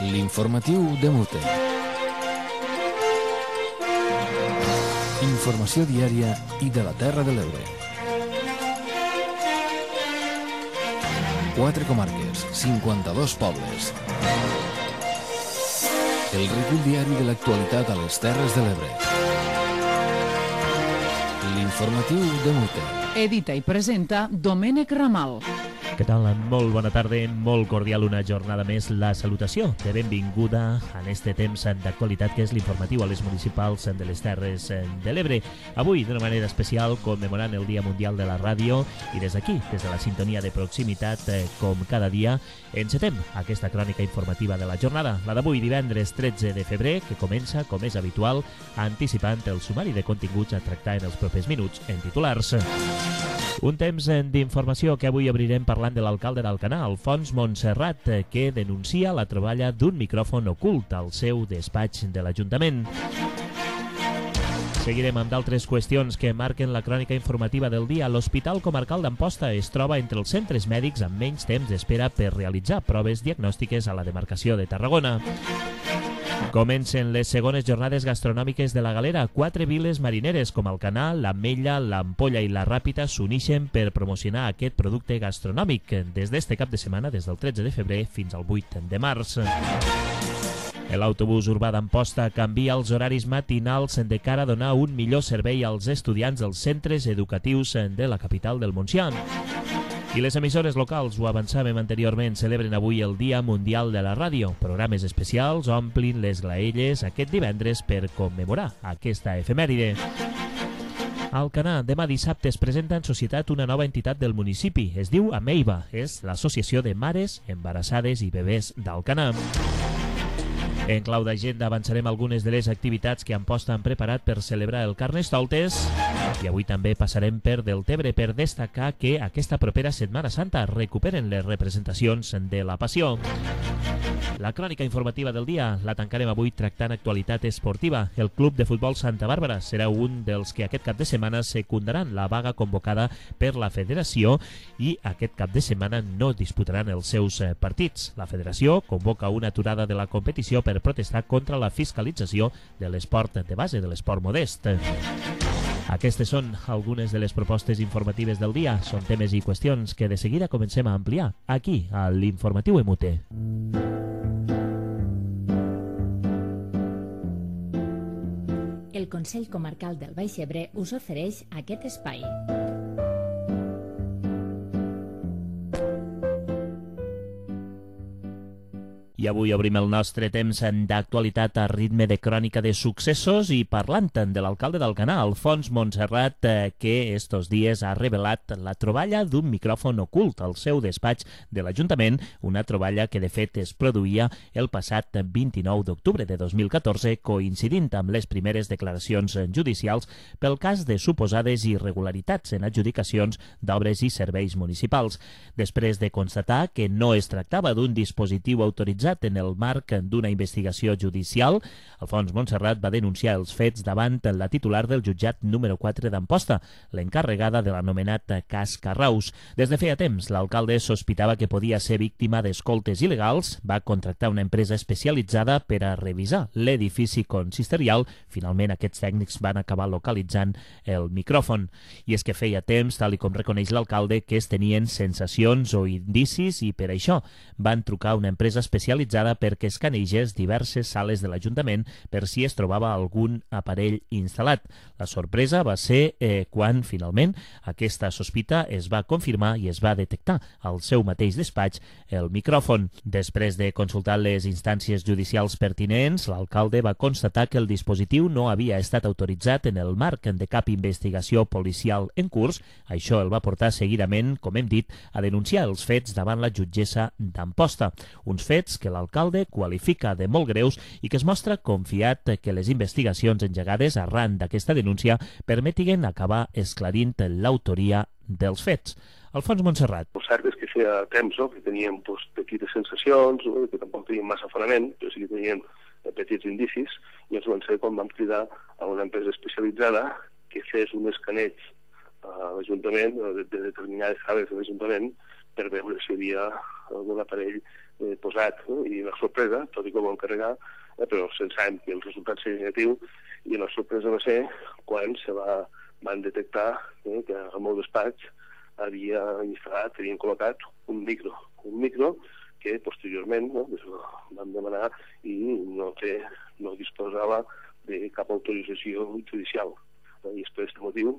L'informatiu de Mute. Informació diària i de la Terra de l'Ebre. 4 comarques, 52 pobles. El recull diari de l'actualitat a les Terres de l'Ebre. L'informatiu de Mute. Edita i presenta Domènec Ramal. Què tal? Molt bona tarda, molt cordial una jornada més. La salutació de benvinguda en este temps d'actualitat que és l'informatiu a les municipals de les Terres de l'Ebre. Avui, d'una manera especial, commemorant el Dia Mundial de la Ràdio i des d'aquí, des de la sintonia de proximitat, com cada dia, encetem aquesta crònica informativa de la jornada, la d'avui, divendres 13 de febrer, que comença, com és habitual, anticipant el sumari de continguts a tractar en els propers minuts en titulars. Un temps d'informació que avui obrirem parlant de l'alcalde d'Alcanar, Alfons Montserrat, que denuncia la troballa d'un micròfon ocult al seu despatx de l'Ajuntament. Seguirem amb d'altres qüestions que marquen la crònica informativa del dia. L'Hospital Comarcal d'Amposta es troba entre els centres mèdics amb menys temps d'espera per realitzar proves diagnòstiques a la demarcació de Tarragona. Comencen les segones jornades gastronòmiques de la Galera. 4 viles marineres com Alcanar, l'Ametlla, l'Ampolla i la Ràpita s'unixen per promocionar aquest producte gastronòmic des d'este cap de setmana, des del 13 de febrer fins al 8 de març. L'autobús urbà d'Amposta canvia els horaris matinals de cara a donar un millor servei als estudiants dels centres educatius de la capital del Montsià. I les emissores locals, ho avançàvem anteriorment, celebren avui el Dia Mundial de la Ràdio. Programes especials omplin les graelles aquest divendres per commemorar aquesta efemèride. A Alcanar, demà dissabte es presenta en societat una nova entitat del municipi. Es diu Ameiva, és l'Associació de Mares Embarassades i Bebès d'Alcanar. En clau d'agenda avançarem algunes de les activitats que Amposta han preparat per celebrar el Carnestoltes i avui també passarem per Deltebre per destacar que aquesta propera Setmana Santa recuperen les representacions de la Passió. La crònica informativa del dia la tancarem avui tractant actualitat esportiva. El Club de Futbol Santa Bàrbara serà un dels que aquest cap de setmana secundaran la vaga convocada per la Federació i aquest cap de setmana no disputaran els seus partits. La Federació convoca una aturada de la competició per protestar contra la fiscalització de l'esport de base, de l'esport modest. Aquestes són algunes de les propostes informatives del dia. Són temes i qüestions que de seguida comencem a ampliar aquí, a l'Informatiu Emute. El Consell Comarcal del Baix Ebre us ofereix aquest espai. I avui obrim el nostre temps d'actualitat a ritme de crònica de successos i parlant de l'alcalde d'Alcanar, Alfons Montserrat, que estos dies ha revelat la troballa d'un micròfon ocult al seu despatx de l'Ajuntament, una troballa que de fet es produïa el passat 29 d'octubre de 2014, coincidint amb les primeres declaracions judicials pel cas de suposades irregularitats en adjudicacions d'obres i serveis municipals. Després de constatar que no es tractava d'un dispositiu autoritzat en el marc d'una investigació judicial, Alfons Montserrat va denunciar els fets davant la titular del jutjat número 4 d'Amposta, l'encarregada de l'anomenat cas Carraus. Des de feia temps, l'alcalde sospitava que podia ser víctima d'escoltes il·legals, va contractar una empresa especialitzada per a revisar l'edifici consistorial. Finalment, aquests tècnics van acabar localitzant el micròfon. I és que feia temps, tal i com reconeix l'alcalde, que es tenien sensacions o indicis i per això van trucar a una empresa especialitzada perquè escanegés diverses sales de l'Ajuntament per si es trobava algun aparell instal·lat. La sorpresa va ser quan, finalment, aquesta sospita es va confirmar i es va detectar al seu mateix despatx el micròfon. Després de consultar les instàncies judicials pertinents, l'alcalde va constatar que el dispositiu no havia estat autoritzat en el marc de cap investigació policial en curs. Això el va portar seguidament, com hem dit, a denunciar els fets davant la jutgessa d'Amposta. Uns fets que l'alcalde qualifica de molt greus i que es mostra confiat que les investigacions engegades arran d'aquesta denúncia permetiguen acabar esclarint l'autoria dels fets. Alfons Montserrat. El cert és que feia temps que teníem petites sensacions, que tampoc teníem massa fonament, però sí que teníem petits indicis, i ens van ser quan vam cridar a una empresa especialitzada que fes un escaneig a l'Ajuntament, de determinades sales de l'Ajuntament, per veure si hi havia algun aparell posat i la sorpresa, tot i que ho vam carregar, però pensàvem que el resultat seria negatiu, i la sorpresa va ser quan van detectar que al meu despatx havien col·locat un micro que posteriorment vam demanar i no disposava de cap autorització judicial. I és per aquest motiu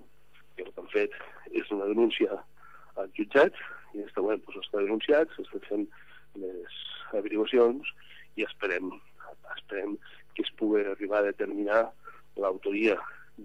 que el que han fet és una denúncia al jutjat, i està denunciat, s'estan fent les averiguacions i esperem que es pugui arribar a determinar l'autoria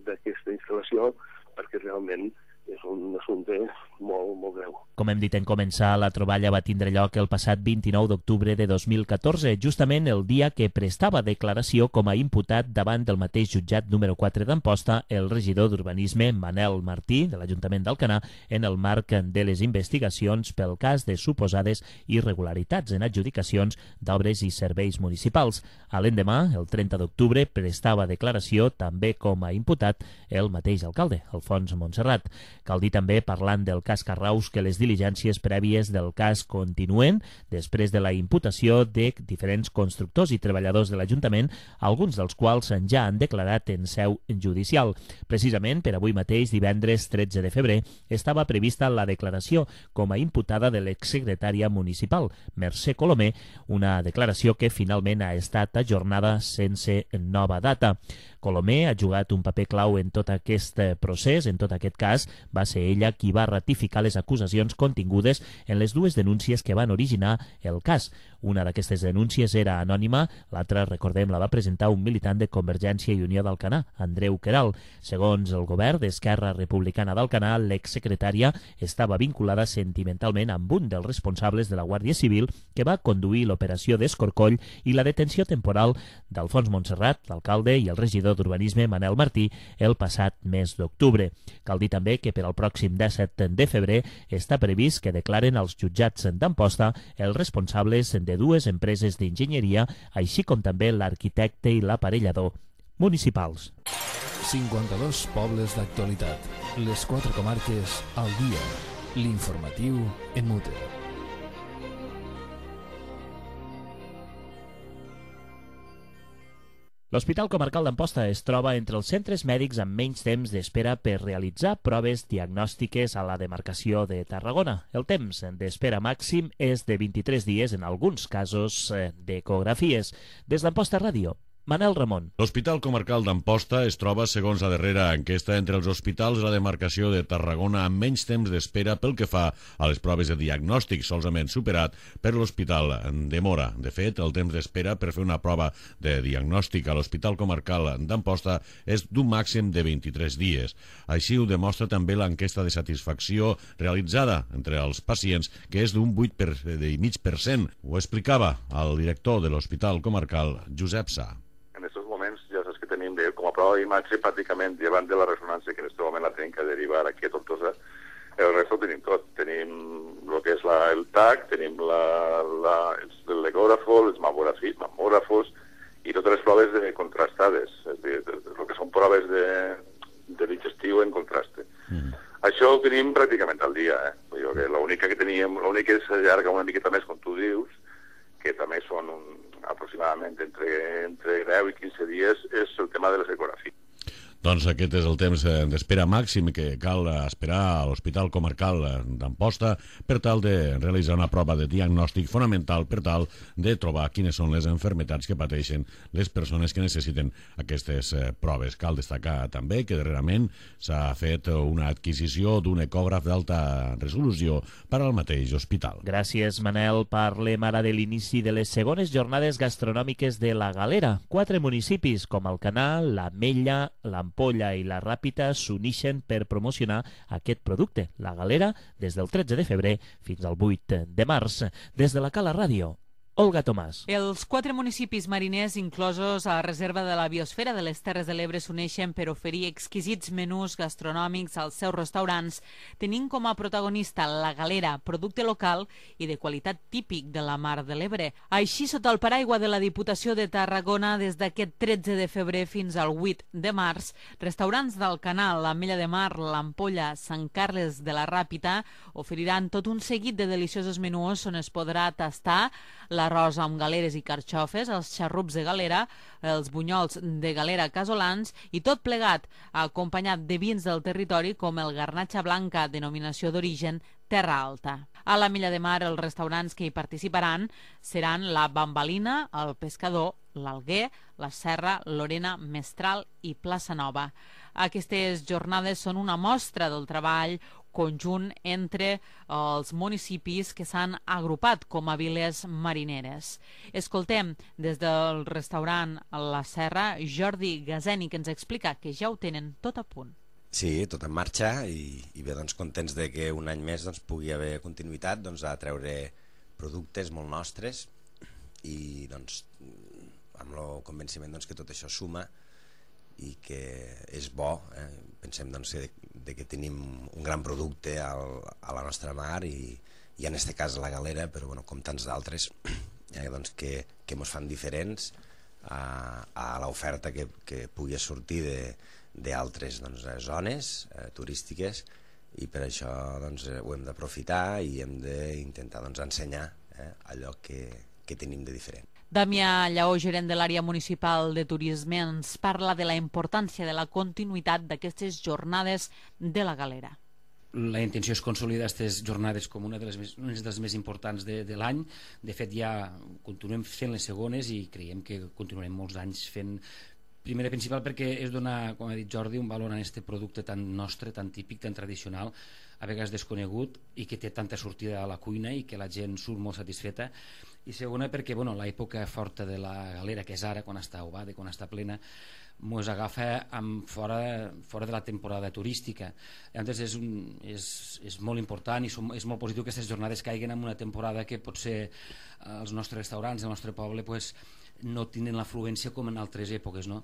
d'aquesta instal·lació, perquè realment és un assumpte molt, molt greu. Com hem dit en començar, la troballa va tindre lloc el passat 29 d'octubre de 2014, justament el dia que prestava declaració com a imputat davant del mateix jutjat número 4 d'Amposta el regidor d'Urbanisme Manel Martí, de l'Ajuntament d'Alcanar, en el marc de les investigacions pel cas de suposades irregularitats en adjudicacions d'obres i serveis municipals. A l'endemà, el 30 d'octubre, prestava declaració també com a imputat el mateix alcalde, Alfons Montserrat. Cal dir també, parlant del cas Carraus, que les diligències prèvies del cas continuen després de la imputació de diferents constructors i treballadors de l'Ajuntament, alguns dels quals ja han declarat en seu judicial. Precisament per avui mateix, divendres 13 de febrer, estava prevista la declaració com a imputada de l'exsecretària municipal, Mercè Colomer, una declaració que finalment ha estat ajornada sense nova data. Colomer ha jugat un paper clau en tot aquest procés, en tot aquest cas. Va ser ella qui va ratificar les acusacions contingudes en les dues denúncies que van originar el cas. Una d'aquestes denúncies era anònima, l'altra, recordem, la va presentar un militant de Convergència i Unió d'Alcanar, Andreu Queralt. Segons el govern d'Esquerra Republicana d'Alcanar, l'exsecretària estava vinculada sentimentalment amb un dels responsables de la Guàrdia Civil que va conduir l'operació d'Escorcoll i la detenció temporal d'Alfons Montserrat, l'alcalde, i el regidor d'Urbanisme, Manel Martí, el passat mes d'octubre. Cal dir també que per al pròxim 17 de febrer està previst que declaren als jutjats d'Amposta els responsables de dues empreses d'enginyeria, així com també l'arquitecte i l'aparellador municipals. 52 pobles d'actualitat. Les 4 comarques al dia. L'informatiu en Mute. L'Hospital Comarcal d'Amposta es troba entre els centres mèdics amb menys temps d'espera per realitzar proves diagnòstiques a la demarcació de Tarragona. El temps d'espera màxim és de 23 dies en alguns casos d'ecografies. Des d'Amposta Ràdio, Manel Ramon. L'Hospital Comarcal d'Amposta es troba, segons la darrera enquesta, entre els hospitals de la demarcació de Tarragona amb menys temps d'espera pel que fa a les proves de diagnòstic, solament superat per l'Hospital de Móra. De fet, el temps d'espera per fer una prova de diagnòstic a l'Hospital Comarcal d'Amposta és d'un màxim de 23 dies. Així ho demostra també l'enquesta de satisfacció realitzada entre els pacients, que és d'un 8,5%. Ho explicava el director de l'Hospital Comarcal, Josep Sà. En aquests moments ja saps que tenim com a prova d'imatge pràcticament llevant de la ressonància, que en aquest moment la tenim que derivar aquí a Tortosa. El resto ho tenim tot. Tenim el que és el TAC, tenim l'ecògrafo, els mamògrafos i totes les proves contrastades, és a dir, el que són proves de digestiu en contraste. Això ho tenim pràcticament al dia. L'única que teníem, l'únic que s'allarga una miqueta més, com tu dius, que també són aproximadament entre 10 i 15 dies, és el tema de les ecografies. Doncs aquest és el temps d'espera màxim que cal esperar a l'Hospital Comarcal d'Amposta per tal de realitzar una prova de diagnòstic fonamental per tal de trobar quines són les malalties que pateixen les persones que necessiten aquestes proves. Cal destacar també que darrerament s'ha fet una adquisició d'un ecògraf d'alta resolució per al mateix hospital. Gràcies, Manel. Parlem ara de l'inici de les segones jornades gastronòmiques de la Galera. 4 municipis com Alcanar, l'Ametlla, l'Ampolla i la Ràpita s'unixen per promocionar aquest producte, la Galera, des del 13 de febrer fins al 8 de març. Des de la Cala Ràdio, Olga Tomàs. Els 4 municipis mariners inclosos a la reserva de la biosfera de les Terres de l'Ebre s'uneixen per oferir exquisits menús gastronòmics als seus restaurants, tenint com a protagonista la Galera, producte local i de qualitat típic de la Mar de l'Ebre. Així, sota el paraigua de la Diputació de Tarragona, des d'aquest 13 de febrer fins al 8 de març, restaurants del Canal, l'Ametlla de Mar, l'Ampolla, Sant Carles de la Ràpita oferiran tot un seguit de deliciosos menús on es podrà tastar l'arròs amb galeres i carxofes, els xarrups de galera, els bunyols de galera casolans i tot plegat acompanyat de vins del territori com el Garnatxa Blanca, denominació d'origen Terra Alta. A la Milla de Mar, els restaurants que hi participaran seran la Bambalina, el Pescador, l'Alguer, la Serra, Lorena, Mestral i Plaça Nova. Aquestes jornades són una mostra del treball conjunt entre els municipis que s'han agrupat com a viles marineres. Escoltem des del restaurant La Serra Jordi Gazeni, que ens explica que ja ho tenen tot a punt. Sí, tot en marxa i bé, doncs, contents de que un any més doncs, pugui haver continuïtat a treure productes molt nostres i doncs, amb el convenciment doncs, que tot això suma i que és bo. Pensem doncs, que tenim un gran producte a la nostra mar i en aquest cas la galera, però bueno, com tants d'altres doncs, que ens fan diferents a l'oferta que pugui sortir d'altres doncs, zones turístiques i per això doncs, ho hem d'aprofitar i hem d'intentar doncs, ensenyar allò que tenim de diferent. Damià Lleó, gerent de l'àrea municipal de turisme, ens parla de la importància de la continuïtat d'aquestes jornades de la galera. La intenció és consolidar aquestes jornades com una de les més importants de l'any. De fet, ja continuem fent les segones i creiem que continuarem molts anys fent. Primer i principal perquè és donar, com ha dit Jordi, un valor a aquest producte tan nostre, tan típic, tan tradicional, a vegades desconegut i que té tanta sortida a la cuina i que la gent surt molt satisfeta. I segona perquè l'època forta de la galera, que és ara, quan està ovada, quan està plena, ens agafa fora de la temporada turística. Llavors és molt important i és molt positiu que aquestes jornades caiguen en una temporada que potser els nostres restaurants, el nostre poble, no tenen l'afluència com en altres èpoques, no?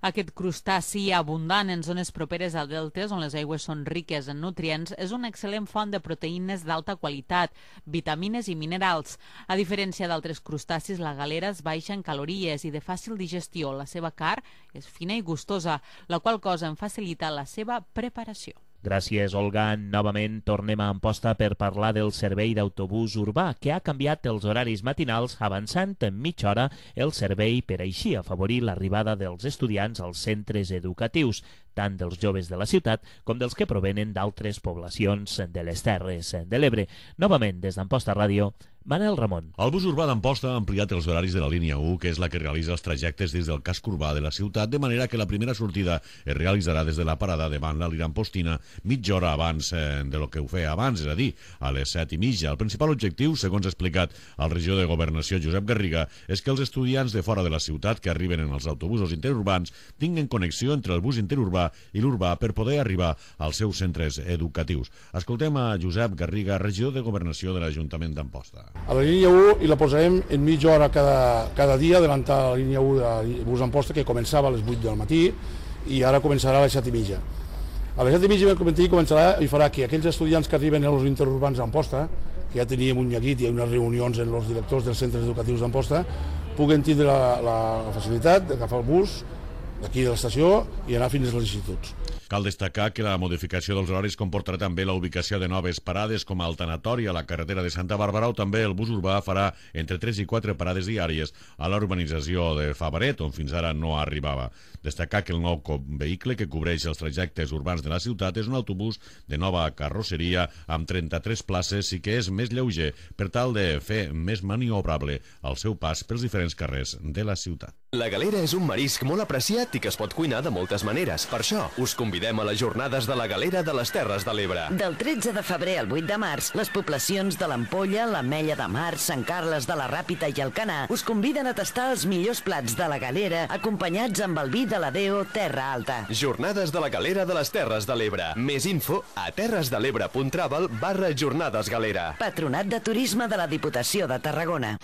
Aquest crustaci abundant en zones properes a deltes, on les aigües són riques en nutrients, és una excel·lent font de proteïnes d'alta qualitat, vitamines i minerals. A diferència d'altres crustacis, la galera és baixa en calories i de fàcil digestió. La seva carn és fina i gustosa, la qual cosa en facilita la seva preparació. Gràcies, Olga. Novament tornem a Amposta per parlar del servei d'autobús urbà, que ha canviat els horaris matinals avançant en mitja hora el servei per així afavorir l'arribada dels estudiants als centres educatius, tant dels joves de la ciutat com dels que provenen d'altres poblacions de les Terres de l'Ebre. Novament, des d'Amposta Ràdio, Manel Ramon. El bus urbà d'Amposta ha ampliat els horaris de la línia 1, que és la que realitza els trajectes des del casc urbà de la ciutat, de manera que la primera sortida es realitzarà des de la parada davant la Lira Ampostina mitja hora abans de lo que ho feia abans, és a dir, a les 7:30. El principal objectiu, segons ha explicat el regidor de Governació, Josep Garriga, és que els estudiants de fora de la ciutat que arriben en els autobusos interurbans tinguin connexió entre el bus interurbà i l'urbà per poder arribar als seus centres educatius. Escoltem a Josep Garriga, regidor de Governació de l'Ajuntament d'Amposta. A la línia 1 i la posarem en mitja hora cada dia, adelantar la línia 1 de bus d'Amposta, que començava a les 8 del matí i ara començarà a les 7:30. A les 7:30 començarà i farà que aquells estudiants que arriben als interurbans d'Amposta, que ja teníem un neguit i unes reunions amb els directors dels centres educatius d'Amposta, puguen tindre la facilitat d'agafar el bus d'aquí de l'estació i anar fins als instituts. Cal destacar que la modificació dels horaris comportarà també la ubicació de noves parades com el tanatori a la carretera de Santa Bàrbara, o també el bus urbà farà entre 3 i 4 parades diàries a la urbanització de Favaret, on fins ara no arribava. Destacar que el nou vehicle que cobreix els trajectes urbans de la ciutat és un autobús de nova carrosseria amb 33 places i que és més lleuger per tal de fer més maniobrable el seu pas pels diferents carrers de la ciutat. La galera és un marisc molt apreciat i que es pot cuinar de moltes maneres. Per això, us convidem a les jornades de la galera de les Terres de l'Ebre. Del 13 de febrer al 8 de març, les poblacions de l'Ampolla, l'Ametlla de Mar, Sant Carles de la Ràpita i Alcanar us conviden a tastar els millors plats de la galera acompanyats amb el vi de la Deo Terra Alta. Jornades de la galera de les Terres de l'Ebre. Més info a terresdelebre.travel/jornades galera. Patronat de Turisme de la Diputació de Tarragona.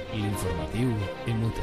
L'informatiu Emute.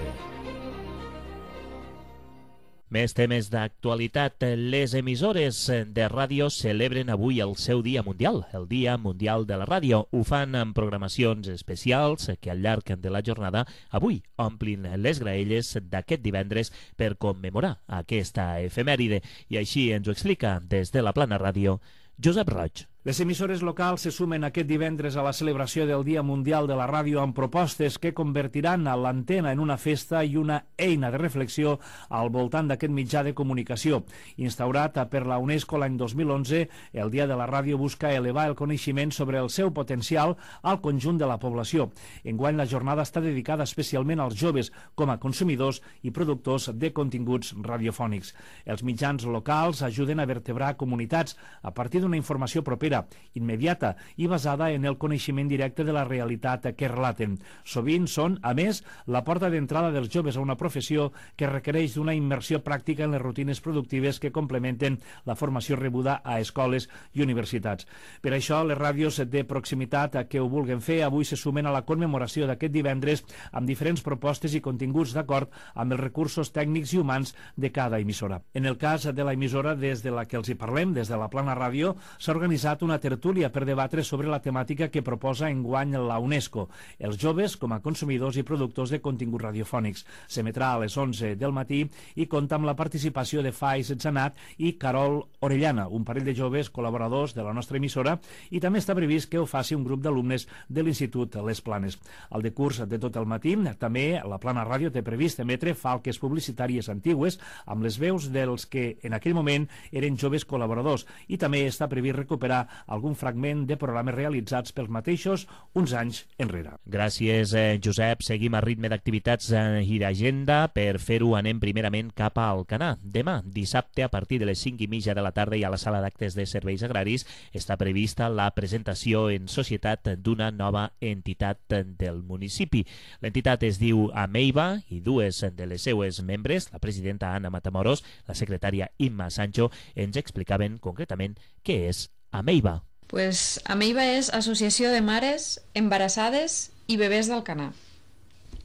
Més temes d'actualitat. Les emissores de ràdio celebren avui el seu Dia Mundial, el Dia Mundial de la Ràdio. Ho fan amb programacions especials que al llarg de la jornada avui omplin les graelles d'aquest divendres per commemorar aquesta efemèride. I així ens ho explica des de la Plana Ràdio Josep Roig. Les emissores locals se sumen aquest divendres a la celebració del Dia Mundial de la Ràdio amb propostes que convertiran a l'antena en una festa i una eina de reflexió al voltant d'aquest mitjà de comunicació. Instaurat per la UNESCO l'any 2011, el Dia de la Ràdio busca elevar el coneixement sobre el seu potencial al conjunt de la població. Enguany la jornada està dedicada especialment als joves com a consumidors i productors de continguts radiofònics. Els mitjans locals ajuden a vertebrar comunitats a partir d'una informació propera, immediata i basada en el coneixement directe de la realitat que relaten. Sovint són, a més, la porta d'entrada dels joves a una professió que requereix d'una immersió pràctica en les rutines productives que complementen la formació rebuda a escoles i universitats. Per això, les ràdios de proximitat que ho vulguen fer avui se sumen a la commemoració d'aquest divendres amb diferents propostes i continguts d'acord amb els recursos tècnics i humans de cada emissora. En el cas de la emissora des de la que els hi parlem, des de la Plana Ràdio, s'ha organitzat una tertúlia per debatre sobre la temàtica que proposa enguany la UNESCO, els joves com a consumidors i productors de continguts radiofònics. S'emetrà a les 11 del matí i compta amb la participació de Faiz Zanat i Carol Orellana, un parell de joves col·laboradors de la nostra emissora, i també està previst que ho faci un grup d'alumnes de l'Institut Les Planes. Al decurs de tot el matí, també la Plana Ràdio té previst emetre falques publicitàries antigues amb les veus dels que en aquell moment eren joves col·laboradors, i també està previst recuperar algun fragment de programes realitzats pels mateixos uns anys enrere. Gràcies, Josep. Seguim a ritme d'activitats i d'agenda. Per fer-ho anem primerament cap a Alcanar. Demà, dissabte, a partir de les 5:30 de la tarda i a la sala d'actes de serveis agraris està prevista la presentació en societat d'una nova entitat del municipi. L'entitat es diu Ameiva i dues de les seues membres, la presidenta Anna Matamoros, la secretària Imma Sancho, ens explicaven concretament què és Ameiva. Pues Ameiva és Associació de Mares Embarassades i Bebès d'Alcanar.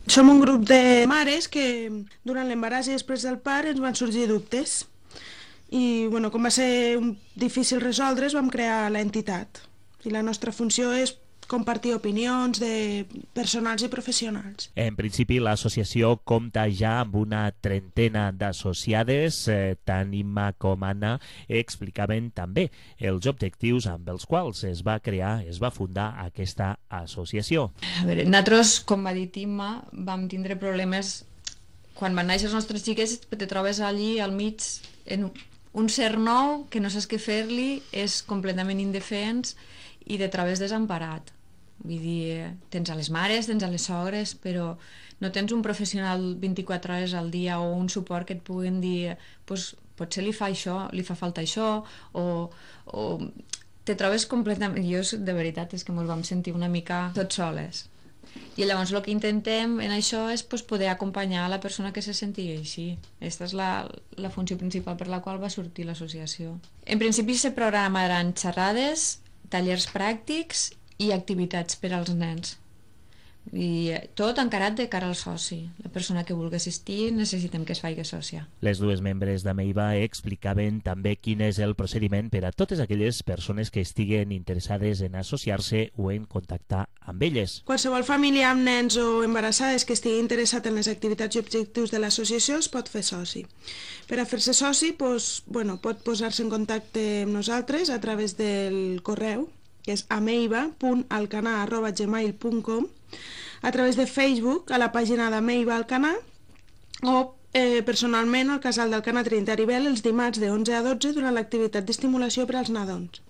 Som un grup de mares que durant l'embaràs i després del part ens van sorgir dubtes. I bueno, com va ser difícil resoldre's, vam crear l'entitat. I la nostra funció és compartir opinions de personals i professionals. En principi, l'associació compta ja amb una trentena d'associades, tant Imma com Anna explicaven també els objectius amb els quals es va fundar aquesta associació. A veure, nosaltres, com va dir Imma, vam tindre problemes quan van néixer els nostres xiquets, te trobes allí al mig en un ser nou que no saps què fer-li, és completament indefens i te trobes desemparat. Vull dir, tens a les mares, tens a les sogres, però no tens un professional 24 hores al dia o un suport que et puguin dir pues, potser li fa això, li fa falta això, o te trobes completament... Jo, de veritat, és que ens vam sentir una mica tots soles. I llavors el que intentem en això és pues, poder acompanyar a la persona que se sentigui així. Aquesta és la funció principal per la qual va sortir l'associació. En principi se programaran xerrades, tallers pràctics i activitats per als nens. I tot encarat de cara al soci. La persona que vulgui assistir necessitem que es faci sòcia. Les dues membres d'Ameiva explicaven també quin és el procediment per a totes aquelles persones que estiguen interessades en associar-se o en contactar amb elles. Qualsevol família amb nens o embarassades que estigui interessat en les activitats i objectius de l'associació es pot fer soci. Per a fer-se soci pot posar-se en contacte amb nosaltres a través del correu, que és ameiva.alcanar@gmail.com, a través de Facebook, a la pàgina d'Ameiva Alcanar, o personalment al casal d'Alcanar Trinitari Bel els dimarts de 11 a 12 durant l'activitat d'estimulació per als nadons.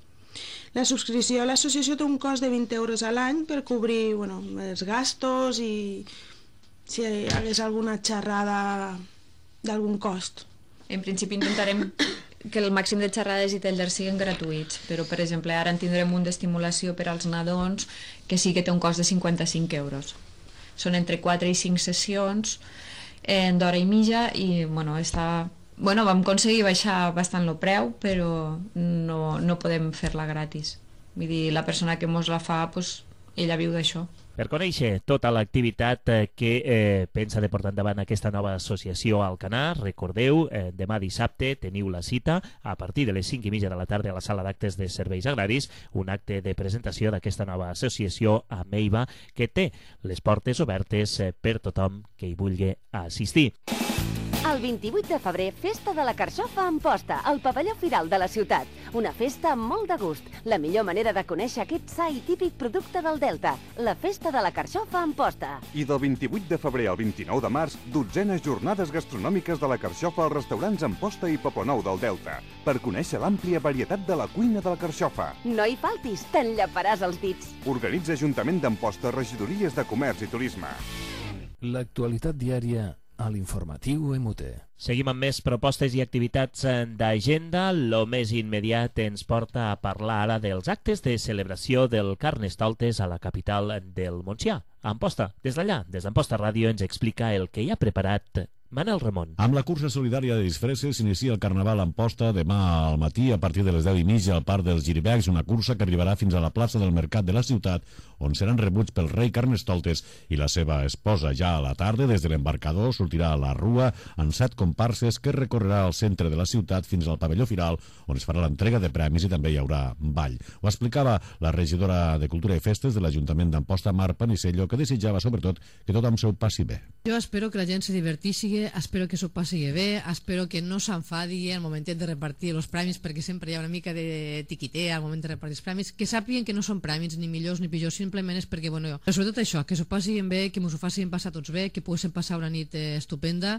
La subscripció a l'associació té un cost de 20 euros a l'any per cobrir els gastos i si hi hagués alguna xerrada d'algun cost. En principi intentarem que el màxim de xerrades i tallers siguin gratuïts, però per exemple ara en tindrem un d'estimulació per als nadons que sí que té un cost de 55 euros. Són entre 4 i 5 sessions d'hora i mitja i vam aconseguir baixar bastant el preu, però no podem fer-la gratis. Vull dir, la persona que mos la fa, ella viu d'això. Per conèixer tota l'activitat que pensa de portar endavant aquesta nova associació a Alcanar, recordeu, demà dissabte teniu la cita a partir de les 5:30 de la tarda a la sala d'actes de serveis agraris, un acte de presentació d'aquesta nova associació Ameiva que té les portes obertes per tothom que hi vulgui assistir. El 28 de febrer, Festa de la Carxofa a Amposta, al pavelló Firal de la ciutat. Una festa amb molt de gust. La millor manera de conèixer aquest sa i típic producte del Delta. La Festa de la Carxofa a Amposta. I del 28 de febrer al 29 de març, 12enes jornades gastronòmiques de la Carxofa als restaurants Amposta i Poblenou del Delta, per conèixer l'àmplia varietat de la cuina de la Carxofa. No hi faltis, t'enllaparàs els dits. Organitza Ajuntament d'Amposta, regidories de Comerç i Turisme. L'actualitat diària a l'informatiu EMUTE. Seguim amb més propostes i activitats d'agenda. Lo més immediat ens porta a parlar ara dels actes de celebració del Carnestoltes a la capital del Montsià, a Amposta. Des d'allà, des d'Amposta Ràdio, ens explica el que hi ha preparat Manel Ramon. Amb la cursa solidària de disfresses s'inicia el Carnaval a Amposta demà al matí a partir de les 10:30 al Parc dels Giribecs, una cursa que arribarà fins a la plaça del Mercat de la ciutat, on seran rebuts pel rei Carnestoltes i la seva esposa. Ja a la tarda, des de l'embarcador, sortirà a la rua amb 7 comparses que recorrerà al centre de la ciutat fins al pavelló Firal, on es farà l'entrega de premis i també hi haurà ball. Ho explicava la regidora de Cultura i Festes de l'Ajuntament d'Amposta, Mar Panicello, que desitjava sobretot que tothom s'ho passi bé. Jo espero que la gent se diverteixi, espero que s'ho passi bé, espero que no s'enfadi al moment de repartir els premis, perquè sempre hi ha una mica de tiquitea al moment de repartir els premis, que sàpiguen que no són premis ni millors ni pitjors, simplement és perquè, bueno, sobretot això, que s'ho passin bé, que ens ho facin passar tots bé, que poguéssim passar una nit estupenda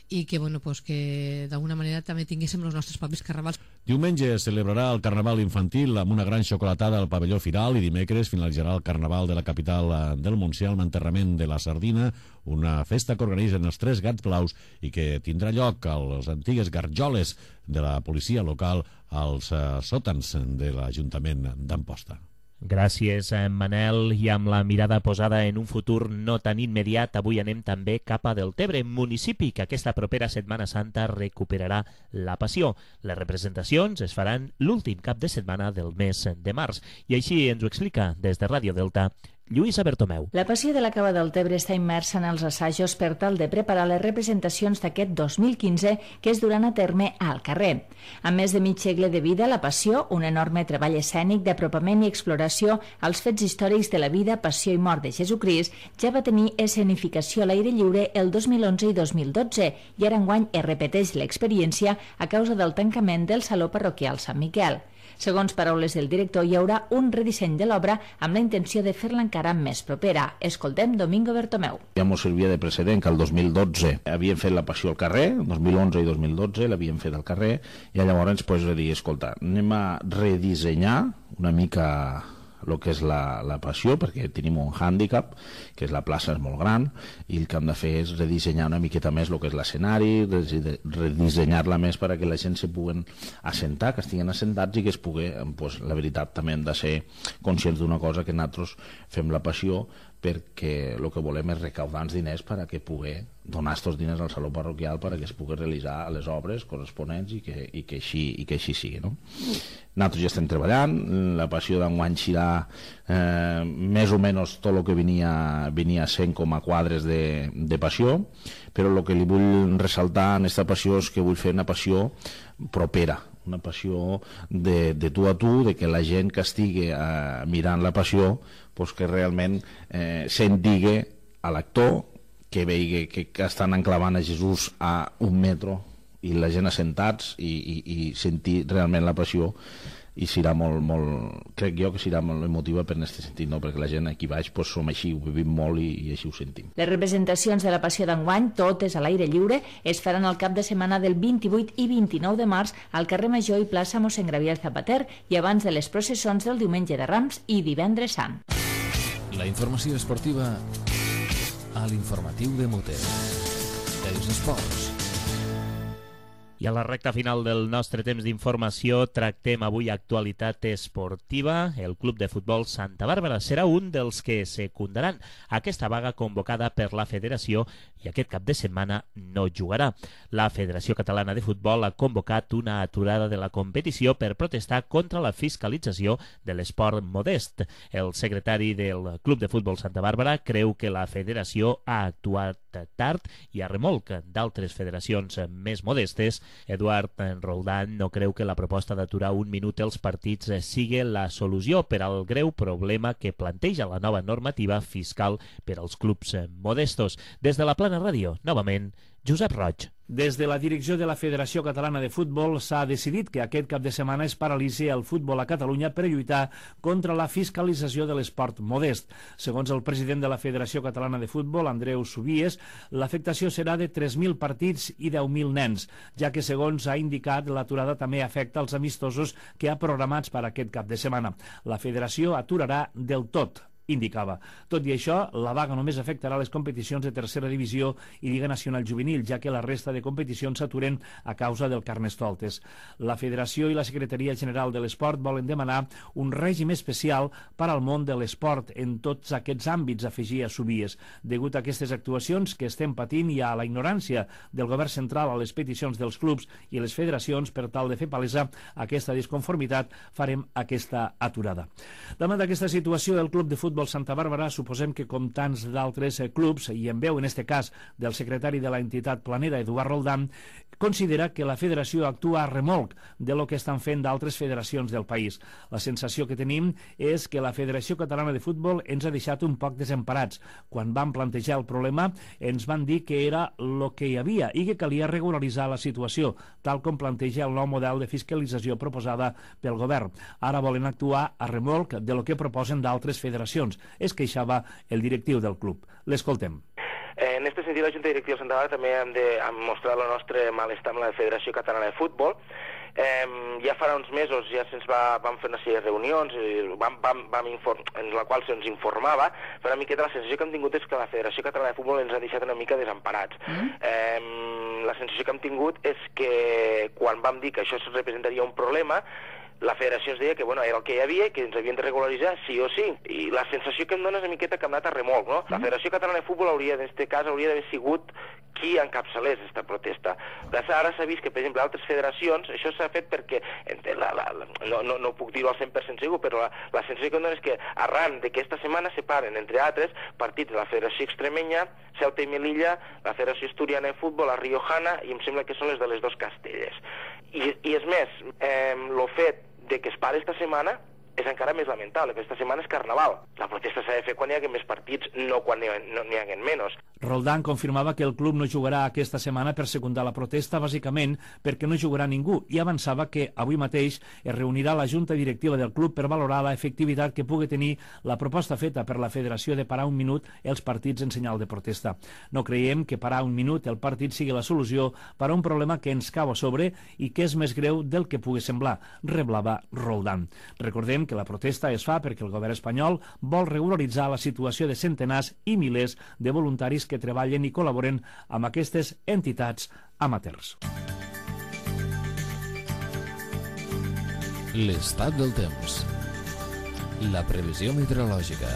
i que, bueno, pues, que d'alguna manera també tinguéssim els nostres propis carnavals. Diumenge es celebrarà el Carnaval infantil amb una gran xocolatada al pavelló Firal i dimecres finalitzarà el Carnaval de la capital del Montsià amb l'enterrament de la sardina, una festa que organitzen els Tres Gats Blaus i que tindrà lloc a les antigues garjoles de la policia local als sòtans de l'Ajuntament d'Amposta. Gràcies, Manel. I amb la mirada posada en un futur no tan immediat, avui anem també cap a Deltebre, municipi que aquesta propera Setmana Santa recuperarà la Passió. Les representacions es faran l'últim cap de setmana del mes de març. I així ens ho explica des de Ràdio Delta Lluïsa Bertomeu. La Passió de la Cava del Tebre està immersa en els assajos per tal de preparar les representacions d'aquest 2015 que es duran a terme al carrer. Amb més de mig segle de vida, la Passió, un enorme treball escènic d'apropament i exploració als fets històrics de la vida, passió i mort de Jesucrist, ja va tenir escenificació a l'aire lliure el 2011 i 2012 i ara enguany es repeteix l'experiència a causa del tancament del Saló Parroquial Sant Miquel. Segons paraules del director, hi haurà un redisseny de l'obra amb la intenció de fer-la encara més propera. Escoltem Domingo Bertomeu. Ja ens servia de precedent que el 2012 havien fet la Passió al carrer, 2011 i 2012 l'havien fet al carrer, i llavors pues, dir, escolta, anem a redissenyar una mica el que és la Passió, perquè tenim un hàndicap, que és la plaça és molt gran, i el que hem de fer és redissenyar una miqueta més el que és l'escenari, redissenyar-la més perquè la gent se puguen assentar, que estiguin assentats i que es pugui, pues, la veritat, també hem de ser conscients d'una cosa, que nosaltres fem la Passió perquè el que volem és recaudar els diners per a que pugui donar aquests diners al Saló Parroquial per a que es pugui realitzar les obres corresponents i que així sigui, no? Nosaltres ja estem treballant, la Passió d'enguany serà més o menys tot el que venia sent com a quadres de Passió, però el que li vull ressaltar en aquesta Passió és que vull fer una Passió propera, una Passió de tu a tu, de que la gent que estigui mirant la Passió pues que realment se'n digui a l'actor, que vegi que estan enclavant a Jesús a un metro i la gent assentats i sentir realment la Passió, i serà crec jo que serà molt emotiva per aquest sentit, no? Perquè la gent aquí baix pues, som així, ho vivim molt i així ho sentim. Les representacions de la Passió d'enguany, totes a l'aire lliure, es faran el cap de setmana del 28 i 29 de març al carrer Major i plaça Mossèn Gabriel Zapater i abans de les processons del diumenge de Rams i divendres Sant. La informació esportiva a l'informatiu de Muter. Els esports. I a la recta final del nostre temps d'informació tractem avui actualitat esportiva. El Club de Futbol Santa Bàrbara serà un dels que secundaran aquesta vaga convocada per la Federació i aquest cap de setmana no jugarà. La Federació Catalana de Futbol ha convocat una aturada de la competició per protestar contra la fiscalització de l'esport modest. El secretari del Club de Futbol Santa Bàrbara creu que la Federació ha actuat tard i a remolc d'altres federacions més modestes. Eduard Roldán no creu que la proposta d'aturar un minut els partits sigui la solució per al greu problema que planteja la nova normativa fiscal per als clubs modestos. Des de la Plana Ràdio, novament, Josep Roig. Des de la direcció de la Federació Catalana de Futbol s'ha decidit que aquest cap de setmana es paralitzi el futbol a Catalunya per lluitar contra la fiscalització de l'esport modest. Segons el president de la Federació Catalana de Futbol, Andreu Subies, l'afectació serà de 3.000 partits i 10.000 nens, ja que, segons ha indicat, l'aturada també afecta els amistosos que ha programats per aquest cap de setmana. La Federació aturarà del tot, indicava. Tot i això, la vaga només afectarà les competicions de tercera divisió i Lliga Nacional Juvenil, ja que la resta de competicions s'aturen a causa del Carnestoltes. La Federació i la Secretaria General de l'Esport volen demanar un règim especial per al món de l'esport en tots aquests àmbits, afegia Subies. Degut a aquestes actuacions que estem patint i a la ignorància del govern central a les peticions dels clubs i les federacions, per tal de fer palesa aquesta disconformitat, farem aquesta aturada. Davant d'aquesta situació, el Club de Futbol Santa Bàrbara, suposem que com tants d'altres clubs, i en veu en este cas del secretari de la entitat planera, Eduard Roldán, considera que la federació actua a remolc de lo que estan fent d'altres federacions del país. La sensació que tenim és que la Federació Catalana de Futbol ens ha deixat un poc desemparats. Quan vam plantejar el problema ens van dir que era el que hi havia i que calia regularitzar la situació, tal com planteja el nou model de fiscalització proposada pel govern. Ara volen actuar a remolc de lo que proposen d'altres federacions. Es queixava el directiu del club. L'escoltem. En aquest sentit, la Junta Directiva de Santa Bàrbara també hem de mostrar el nostre malestar amb la Federació Catalana de Futbol. Ja farà uns mesos ja vam fer una sèrie de reunions en la qual se'ns informava, però una miqueta la sensació que hem tingut és que la Federació Catalana de Futbol ens ha deixat una mica desemparats. La sensació que hem tingut és que quan vam dir que això representaria un problema, la federació ens deia que era el que hi havia i que ens havien de regularitzar sí o sí. I la sensació que em dona és una miqueta que hem anat a remolc, no? La Federació Catalana de Futbol en aquest cas hauria d'haver sigut qui encapçalés aquesta protesta. Ara s'ha vist que, per exemple, altres federacions, això s'ha fet perquè, no puc dir-ho al 100% segur, però la sensació que em dona és que arran d'aquesta setmana separen, entre altres, partits de la Federació Extremenya, Ceuta i Melilla, la Federació Asturiana de Futbol, la Riojana, i em sembla que són les de les dos Castelles. I és més, el fet de que es pare esta setmana és encara més lamentable, perquè esta setmana és Carnaval. La protesta s'ha de fer quan hi hagi més partits, no quan n'hi hagi menys. Roldán confirmava que el club no jugarà aquesta setmana per secundar la protesta, bàsicament perquè no jugarà ningú, i avançava que avui mateix es reunirà la Junta Directiva del club per valorar l'efectivitat que pugui tenir la proposta feta per la Federació de parar un minut els partits en senyal de protesta. No creiem que parar un minut el partit sigui la solució per a un problema que ens cau a sobre i que és més greu del que pugui semblar, reblava Roldán. Recordem que la protesta es fa perquè el govern espanyol vol regularitzar la situació de centenars i milers de voluntaris que treballen i col·laboren amb aquestes entitats amateurs. L'estat del temps. La previsió meteorològica.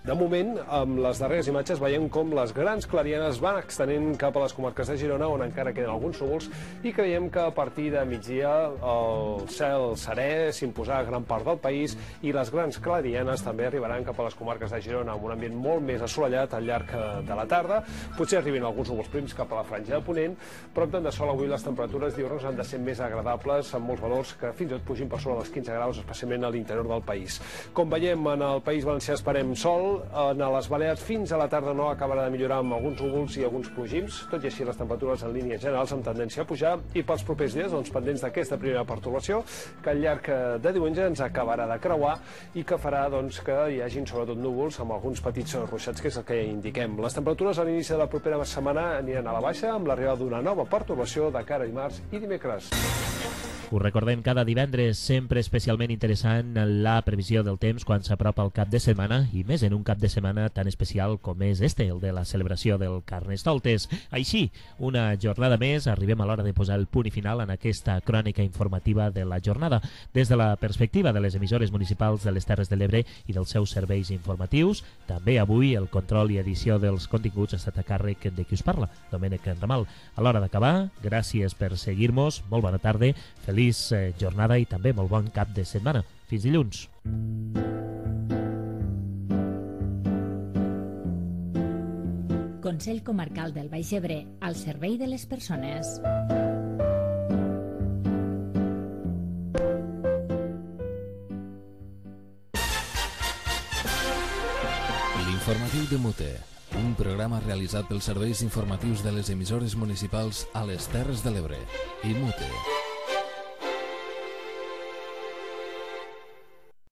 De moment, amb les darreres imatges veiem com les grans clarianes van extenent cap a les comarques de Girona, on encara queden alguns núvols, i creiem que a partir de migdia el cel serè s'imposarà a gran part del país i les grans clarianes també arribaran cap a les comarques de Girona amb un ambient molt més assolellat al llarg de la tarda. Potser arribin alguns núvols prims cap a la franja de Ponent, però amb tant de sol avui les temperatures diürnes han de ser més agradables, amb molts valors que fins i tot pugin per sobre dels 15 graus, especialment a l'interior del país. Com veiem, en el País Valencià esperem sol. En les Balears fins a la tarda no acabarà de millorar amb alguns núvols i alguns plogims, tot i així les temperatures en línies generals amb tendència a pujar, i pels propers dies pendents d'aquesta primera pertorbació que al llarg de diumenge ens acabarà de creuar i que farà que hi hagin sobretot núvols amb alguns petits ruixats, que és el que indiquem. Les temperatures a l'inici de la propera setmana aniran a la baixa amb l'arribada d'una nova pertorbació de cara a dimarts i dimecres. Us recordem cada divendres, sempre especialment interessant la previsió del temps quan s'apropa el cap de setmana, i més en un cap de setmana tan especial com és el de la celebració del Carnestoltes. Així, una jornada més, arribem a l'hora de posar el punt i final en aquesta crònica informativa de la jornada. Des de la perspectiva de les emissores municipals de les Terres de l'Ebre i dels seus serveis informatius, també avui el control i edició dels continguts ha estat a càrrec de qui us parla, Domènec Ramal. A l'hora d'acabar, gràcies per seguir-nos, molt bona tarda, feliç jornada i també molt bon cap de setmana. Fins dilluns. Consell Comarcal del Baix Ebre, al servei de les persones. L'informatiu de Mute, un programa realitzat pels serveis informatius de les emissores municipals a les Terres de l'Ebre i Mute.